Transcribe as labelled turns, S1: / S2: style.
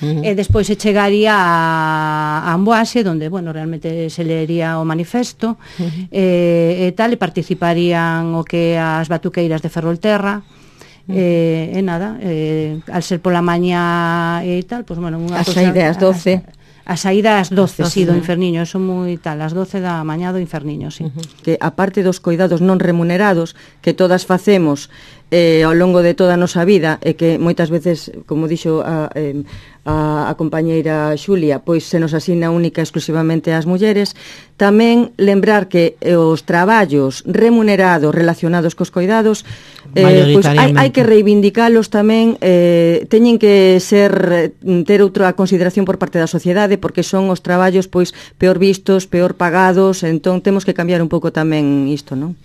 S1: e despois se chegaría a Amboase, onde, bueno, realmente se leería o manifesto, e tal, e participarían o que as batuqueiras de Ferrolterra, e nada, al ser pola mañá e tal, pues, bueno,
S2: a saída ás 12.
S1: A saída ás 12, sí, do Inferniño, son moi tal, ás 12 da mañá do Inferniño, sí.
S2: Que aparte dos coidados non remunerados que todas facemos ao longo de toda a nosa vida e que moitas veces, como dixo a compañeira Xulia, pois se nos asina única exclusivamente ás mulleres, tamén lembrar que os traballos remunerados relacionados cos coidados pois hai que reivindicalos tamén, teñen que ter outra consideración por parte da sociedade, porque son os traballos pois peor vistos, peor pagados, entón temos que cambiar un pouco tamén isto, non?